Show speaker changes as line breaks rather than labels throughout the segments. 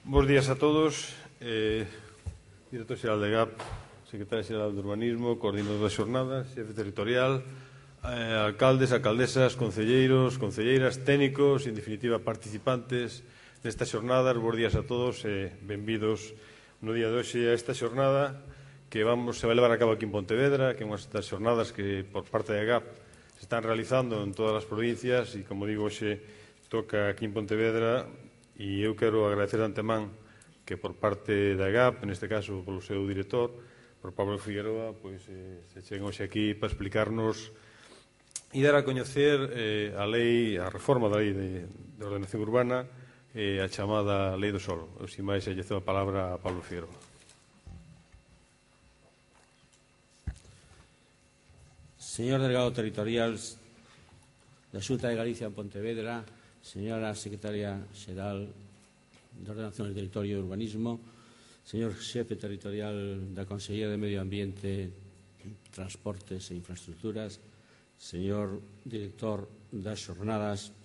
Bos días a todos. Director xeral de GAP, Secretario Xeral de Urbanismo, Coordinador da Xornada, Xefe Territorial, alcaldes, alcaldesas, concelleiros, concelleiras, técnicos, en definitiva, participantes destas xornadas. Bos días a todos e benvidos no día de hoxe a esta xornada que se vai levar a cabo aquí en Pontevedra, que é unha das xornadas que por parte da GAP se están realizando en todas as provincias e, como digo, hoxe toca aquí en Pontevedra. E eu quero agradecer de antemán que por parte da GAP, neste caso polo seu director, por Pablo Figueroa, se cheguen hoxe aquí para explicarnos e dar a coñecer a reforma da Lei de Ordenación Urbana, a chamada Lei do Solo. Sin máis, lle cedo a palabra a Pablo Figueroa.
Señor Delegado Territorial da Xunta de Galicia en Pontevedra, señora Secretaria Xeral de Ordenación del Territorio e Urbanismo, señor Xefe Territorial da Consellería de Medio Ambiente, Transportes e Infraestructuras, señor Director das Xornadas,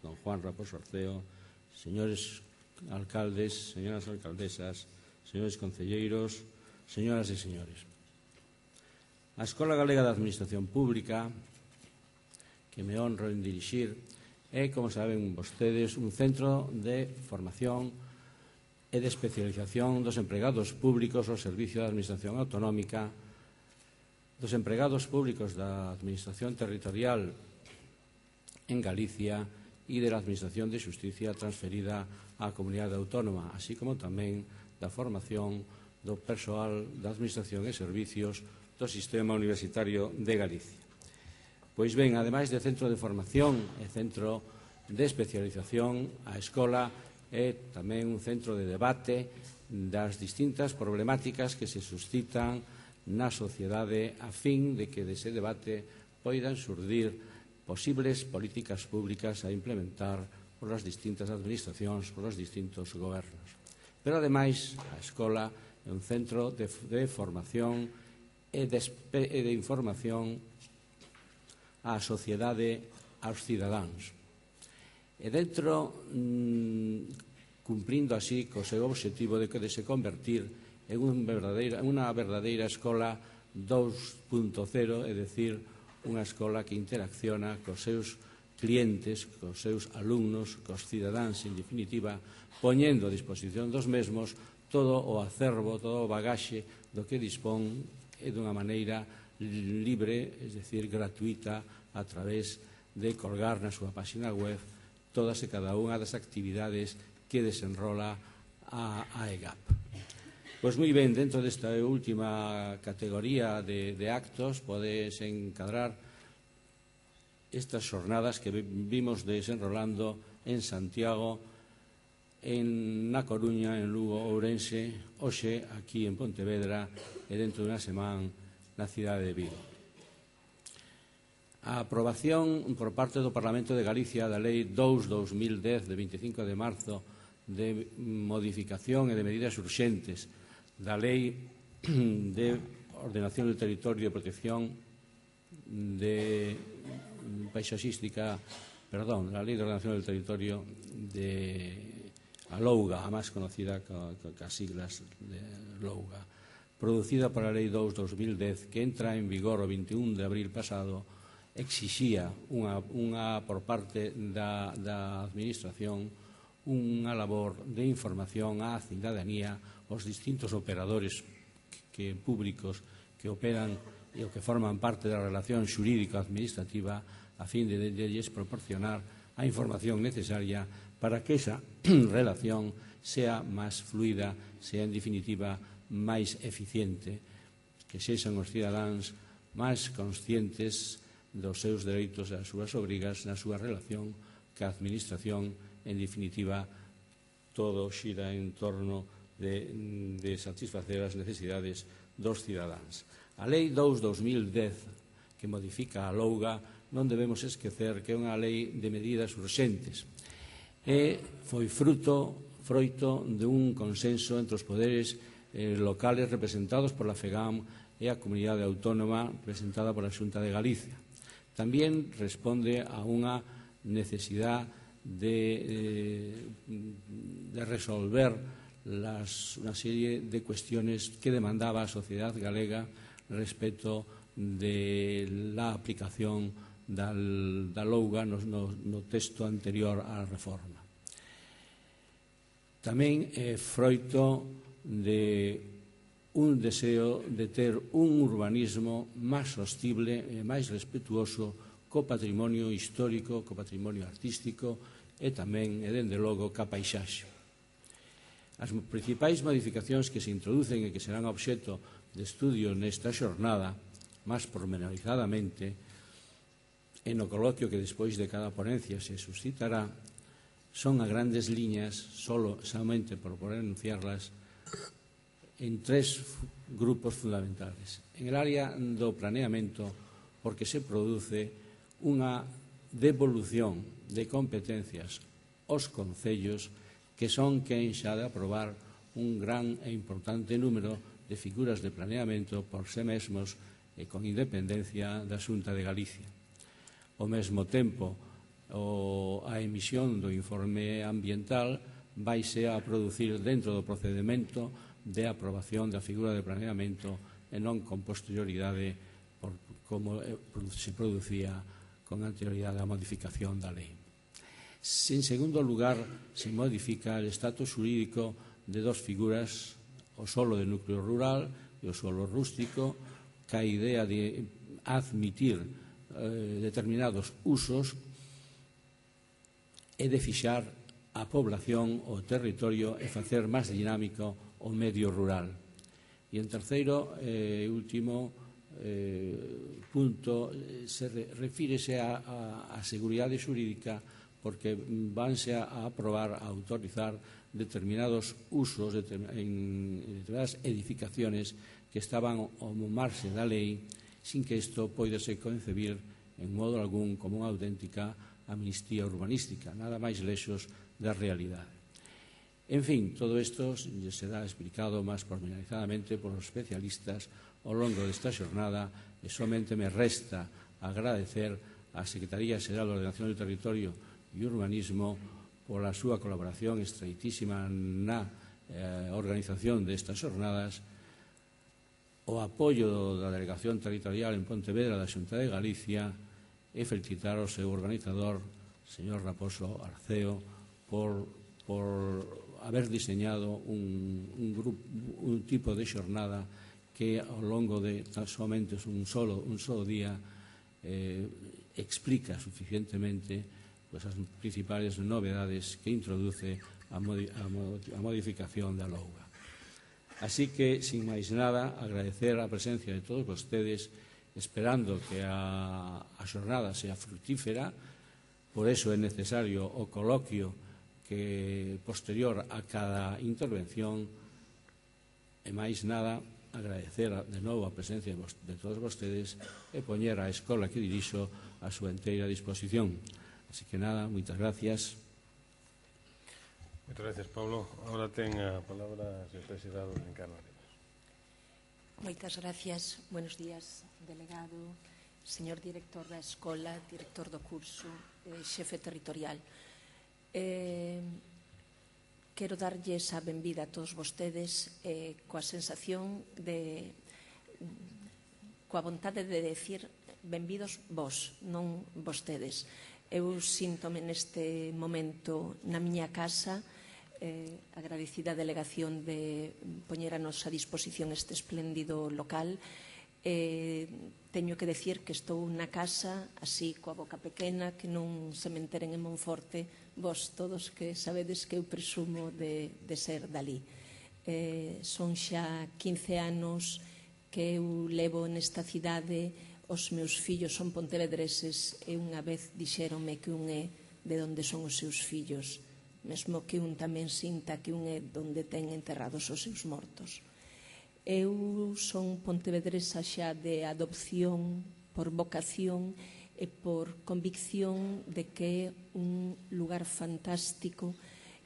don Juan Raposo Arceo, señores alcaldes, señoras alcaldesas, señores concelleiros, señoras e señores. A Escola Galega de Administración Pública, que me honro en dirixir, é, como saben vostedes, un centro de formación e de especialización dos empregados públicos ao servicio da Administración Autonómica, dos empregados públicos da Administración Territorial en Galicia e de la Administración de Xusticia transferida á Comunidade Autónoma, así como tamén da formación do persoal da Administración e Servicios do Sistema Universitario de Galicia. Pois ben, ademais de centro de formación e centro de especialización, a escola é tamén un centro de debate das distintas problemáticas que se suscitan na sociedade a fin de que dese debate poidan surdir posibles políticas públicas a implementar polas distintas administracións, polos distintos gobernos. Pero, ademais, a escola é un centro de formación e de información á sociedade, aos cidadáns. E dentro, cumprindo así co seu obxectivo de que de se convertir en unha verdadeira escola 2.0, é dicir, unha escola que interacciona cos seus clientes, cos seus alumnos, cos cidadáns, en definitiva, poñendo a disposición dos mesmos todo o acervo, todo o bagaxe do que dispón e dunha maneira libre, es decir, gratuita, a través de colgar na súa página web todas e cada unha das actividades que desenrola a EGAP. Pois moi ben, dentro desta última categoría de actos podese encadrar estas xornadas que vimos desenrolando en Santiago, na Coruña, en Lugo, Ourense, hoxe aquí en Pontevedra e dentro dunha semana na cidade de Vigo. A aprobación por parte do Parlamento de Galicia da Lei 2/2010 de 25 de marzo de modificación e de medidas urxentes da Lei de Ordenación del Territorio e Protección Paisaxística, la Lei de Ordenación del Territorio de a LOUGA, a máis conocida cas siglas de LOUGA, producida por a Lei 2/2010, que entra en vigor o 21 de abril pasado, exixía por parte da Administración unha labor de información á cidadanía, aos distintos operadores públicos que operan e que forman parte da relación xurídico-administrativa a fin de lles proporcionar a información necesaria para que esa relación sea máis fluida, sea en definitiva máis eficiente, que sexan os cidadáns máis conscientes dos seus dereitos e das súas obrigas na súa relación ca administración. En definitiva, todo xira en torno de satisfacer as necesidades dos cidadáns. A Lei 2/2010, que modifica a LOUGA, non debemos esquecer que é unha lei de medidas urxentes e foi froito dun consenso entre os poderes locales representados por la FEGAM e a Comunidade Autónoma representada por a Xunta de Galicia. Tamén responde a unha necesidade de resolver una serie de cuestiones que demandaba a sociedade galega respecto de la aplicación da louga no texto anterior á reforma. Tamén é froito de un deseo de ter un urbanismo máis sostible e máis respetuoso co patrimonio histórico, co patrimonio artístico e tamén, e dende logo, ca paisaxe. As principais modificacións que se introducen e que serán obxecto de estudio nesta xornada, máis pormenorizadamente, e no coloquio que despois de cada ponencia se suscitará, son a grandes liñas, solamente por poder enunciarlas, en tres grupos fundamentales. En el área do planeamento, porque se produce unha devolución de competencias aos concellos que son quen xa de aprobar un gran e importante número de figuras de planeamento por sí mesmos e con independencia da Xunta de Galicia. Ao mesmo tempo, a emisión do informe ambiental vaise a producir dentro do procedimento de aprobación da figura de planeamento e non con posterioridade como se producía con anterioridade á modificación da lei. En segundo lugar, se modifica o estatus xurídico de dos figuras, o solo de núcleo rural e o solo rústico, ca idea de admitir determinados usos e de fixar a población, o territorio e facer máis dinámico o medio rural. E en terceiro e último punto refírese á seguridade xurídica, porque vanse a aprobar, a autorizar determinados usos en determinadas edificaciones que estaban ao marxe da lei, sin que isto poidese concebir en modo algún como unha auténtica amnistía urbanística, nada máis lexos da realidade. En fin, todo isto será explicado máis pormenorizadamente por os especialistas ao longo desta xornada e somente me resta agradecer á Secretaría Xeral de Ordenación do Territorio e Urbanismo pola súa colaboración estreitísima na organización destas xornadas, o apoio da Delegación Territorial en Pontevedra da Xunta de Galicia e felicitar ao seu organizador, señor Raposo Arceo, por haber diseñado un tipo de xornada que ao longo de somente un solo día explica suficientemente as principales novedades que introduce a modificación da louga. Así que, sin máis nada, agradecer a presencia de todos vostedes, esperando que a xornada sea fructífera. Por eso é necesario o coloquio que posterior a cada intervención, e máis nada, agradecer de novo a presencia de todos vostedes e poñer a escola que dirixo a súa enteira disposición. Así que nada, moitas gracias.
Moitas gracias, Pablo. Ahora ten a palabra a secretaria xeral Encarna Arenas.
Moitas gracias. Buenos días, delegado, señor director da escola, director do curso, xefe territorial. Quero darlles a benvida a todos vostedes coa sensación coa vontade de decir benvidos vos, non vostedes. Eu síntome neste momento na miña casa, agradecida a delegación de poñer a nosa disposición este espléndido local. Teño que decir que estou na casa así coa boca pequena, que non se me enteren en Monforte, vos todos que sabedes que eu presumo de ser dali. Son xa 15 anos que eu levo nesta cidade, os meus fillos son pontevedreses e unha vez dixéronme que un é de onde son os seus fillos, mesmo que un tamén sinta que un é onde ten enterrados os seus mortos. Eu son pontevedresa xa de adopción, por vocación e por convicción de que é un lugar fantástico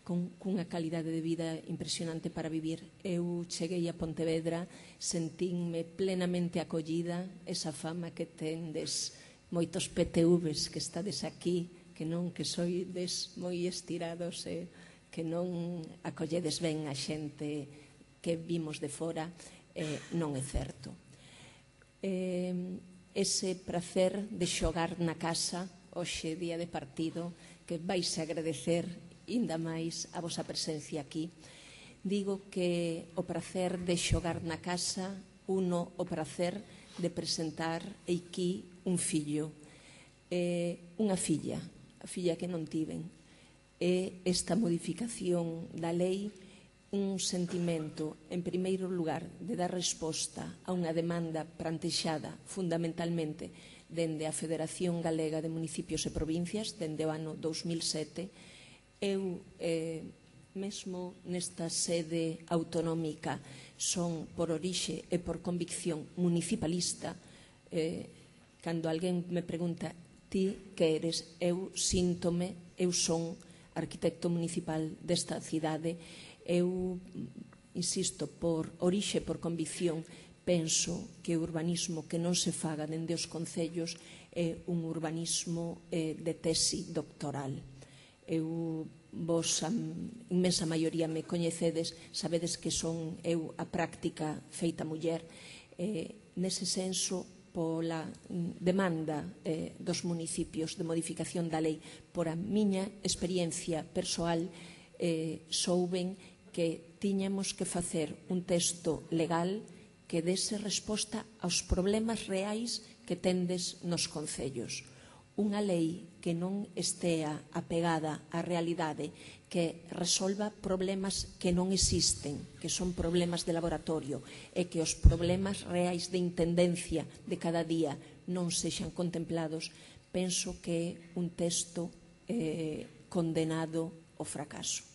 cunha calidade de vida impresionante para vivir. Eu cheguei a Pontevedra, sentínme plenamente acollida, esa fama que tendes moitos PTVs que estades aquí, que non, que soides moi estirados e que non acolledes ben a xente que vimos de fora, non é certo. Ese prazer de xogar na casa, hoxe día de partido, que vais a agradecer ainda máis a vosa presencia aquí. Digo que o prazer de xogar na casa, uno o prazer de presentar aquí un fillo, unha filla, a filla que non tiven. É esta modificación da lei un sentimento, en primeiro lugar, de dar resposta a unha demanda plantexada fundamentalmente dende a Federación Galega de Municipios e Provincias, dende o ano 2007. Eu, mesmo nesta sede autonómica, son por orixe e por convicción municipalista. Cando alguén me pregunta ti que eres, eu síntome, eu son arquitecto municipal desta cidade. Eu, insisto, por orixe e por convicción, penso que o urbanismo que non se faga dende os concellos é un urbanismo de tesi doctoral. Vos, a inmensa maioría me coñecedes, sabedes que son eu a práctica feita muller. Nese senso, pola demanda dos municipios de modificación da lei, por a miña experiencia persoal, souben que tiñamos que facer un texto legal que dese resposta aos problemas reais que tendes nos concellos. Unha lei que non estea apegada á realidade, que resolva problemas que non existen, que son problemas de laboratorio, e que os problemas reais de intendencia de cada día non sexan contemplados, penso que é un texto condenado ao fracaso.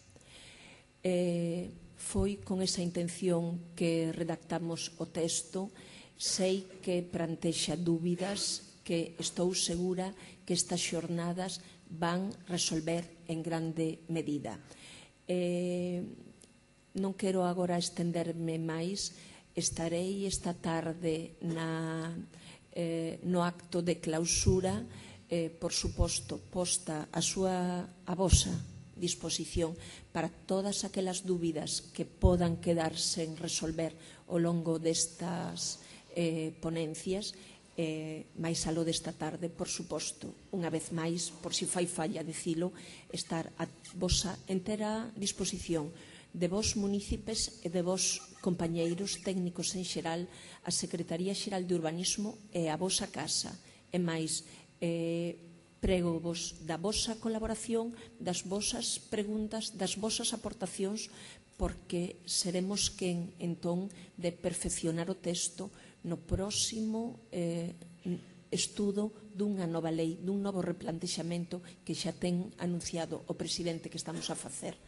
Foi con esa intención que redactamos o texto. Sei que plantexa dúbidas, que estou segura que estas xornadas van resolver en grande medida. Non quero agora estenderme máis. Estarei esta tarde no acto de clausura, por suposto, posta a vosa disposición para todas aquelas dúbidas que podan quedar sen resolver ao longo destas ponencias. máis aló desta tarde, por suposto, unha vez máis, por si fai falla dicilo, estar a vosa entera disposición de vos munícipes e de vos compañeiros técnicos en xeral, a Secretaría Xeral de Urbanismo e a vosa casa. E máis, prego vos da vosa colaboración, das vosas preguntas, das vosas aportacións, porque seremos quen, entón, de perfeccionar o texto no próximo estudo dunha nova lei, dun novo replantexamento que xa ten anunciado o presidente que estamos a facer.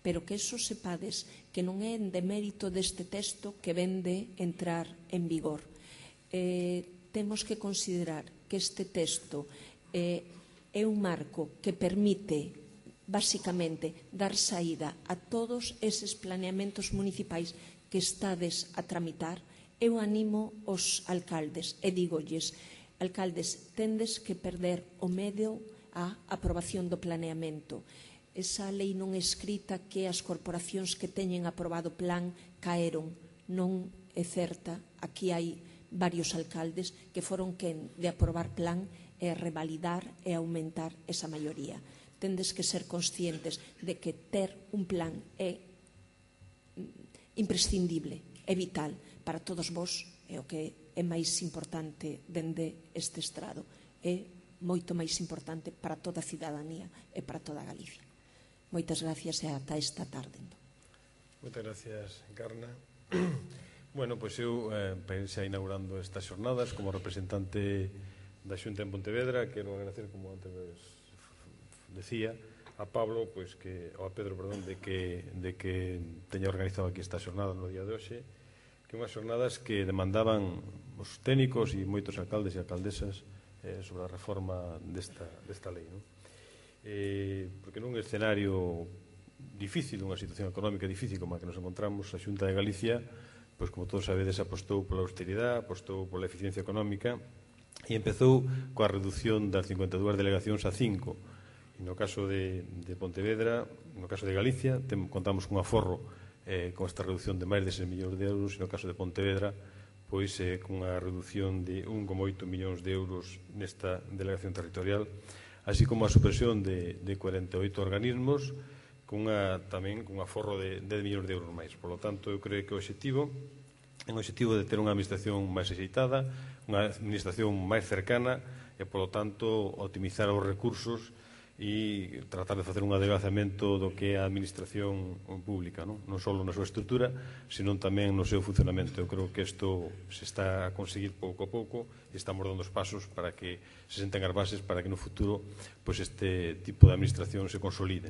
Pero que eso sepades que non é en demérito deste texto que ven de entrar en vigor. Temos que considerar que este texto é un marco que permite, basicamente, dar saída a todos eses planeamentos municipais que estades a tramitar. Eu animo os alcaldes e dígolles, alcaldes, tendes que perder o medo á aprobación do planeamento. Esa lei non escrita que as corporacións que teñen aprobado plan caeron, non é certa. Aquí hai varios alcaldes que foron quen de aprobar plan e revalidar e aumentar esa maioría. Tendes que ser conscientes de que ter un plan é imprescindible, é vital para todos vós, é o que é máis importante dende este estrado, é moito máis importante para toda a cidadanía e para toda a Galicia. Moitas gracias e ata esta tarde.
Moitas gracias, Encarna. Bueno, pois eu xa inaugurando estas xornadas como representante da Xunta en Pontevedra, quero agradecer, como antes decía, a Pablo, pois que, ou a Pedro, perdón, de que teña organizado aquí esta xornada no día de hoxe, que unhas xornadas que demandaban os técnicos e moitos alcaldes e alcaldesas sobre a reforma desta lei, non? Porque nun escenario difícil, unha situación económica difícil como a que nos encontramos, a Xunta de Galicia, pois como todos sabedes, apostou pola austeridade, apostou pola eficiencia económica e empezou coa reducción das 52 delegacións a 5. E no caso de Pontevedra, no caso de Galicia, contamos cun aforro con esta reducción de máis de 6 millóns de euros, e no caso de Pontevedra, pois cunha reducción de 1,8 millóns de euros nesta delegación territorial, así como a supresión de 48 organismos, tamén cun aforro de 10 millóns de euros máis. Por lo tanto, eu creo que o objetivo é un objetivo de ter unha administración máis axeitada, unha administración máis cercana e, por lo tanto, optimizar os recursos e tratar de facer un adelgazamento do que é a administración pública, non só na súa estrutura, senón tamén no seu funcionamento. Eu creo que isto se está a conseguir pouco a pouco e estamos dando os pasos para que se senten as bases para que no futuro este tipo de administración se consolide.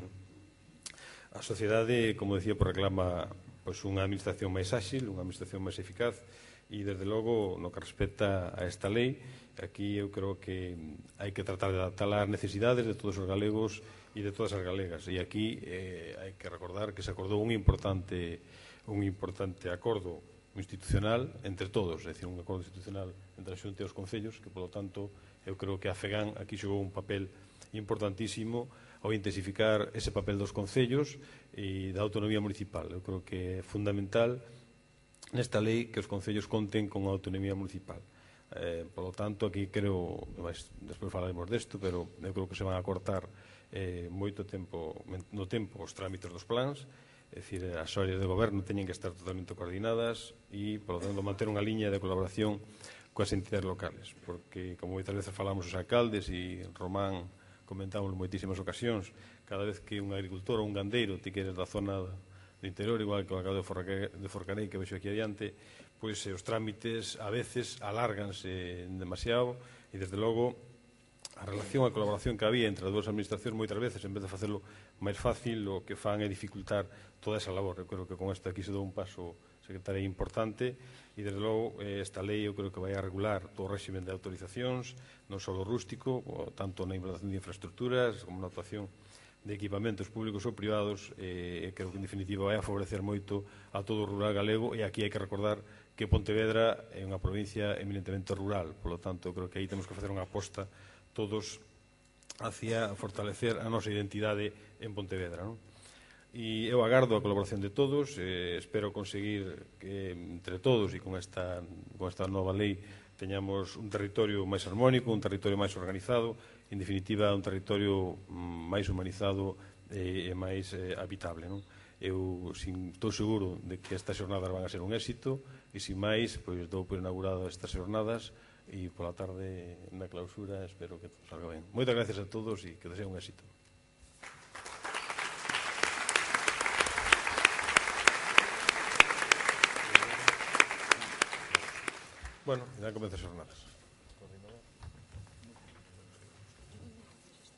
A sociedade, como decía, reclama unha administración máis áxil, unha administración máis eficaz e, desde logo, no que respecta a esta lei, aquí eu creo que hai que tratar de adaptar as necesidades de todos os galegos e de todas as galegas. E aquí hai que recordar que se acordou un importante acordo institucional entre todos, é dicir, un acordo institucional entre a Xunta e os concellos, que, polo tanto, eu creo que a FEGAN aquí xogou un papel importantísimo ao intensificar ese papel dos concellos e da autonomía municipal. Eu creo que é fundamental nesta lei que os concellos conten con a autonomía municipal. Por lo tanto, aquí creo, despois falaremos desto, pero eu creo que se van a cortar moito tempo no tempo os trámites dos plans, é dicir, as áreas de goberno teñen que estar totalmente coordinadas e, por lo tanto, manter unha liña de colaboración coas entidades locales, porque, como moitas veces falamos os alcaldes e Román comentamos en moitísimas ocasións, cada vez que un agricultor ou un gandeiro ti que eres da zona do interior, igual que o alcalde de Forcarei que vexo aquí adiante, pois os trámites a veces alárganse demasiado e, desde logo, a relación, a colaboración que había entre as dúas administracións moitas veces, en vez de facelo máis fácil, o que fan é dificultar toda esa labor. Eu creo que con isto aquí se dou un paso, secretaria, importante e, desde logo, esta lei eu creo que vai a regular todo o réximen de autorizacións, non só rústico, tanto na implantación de infraestructuras como na actuación de equipamentos públicos ou privados, e creo que, en definitiva, vai a favorecer moito a todo o rural galego, e aquí hai que recordar que Pontevedra é unha provincia eminentemente rural, por lo tanto, creo que aí temos que facer unha aposta todos hacia fortalecer a nosa identidade en Pontevedra, non? E eu agardo a colaboración de todos, espero conseguir que entre todos e con esta nova lei teñamos un territorio máis armónico, un territorio máis organizado, en definitiva un territorio máis humanizado e máis habitable, non? Eu estou seguro de que estas xornadas van a ser un éxito e, sin máis, pois dou por inaugurado estas xornadas e pola tarde na clausura espero que todo salga ben. Moitas gracias a todos e que deseo un éxito. Bueno, ya comenzan as xornadas.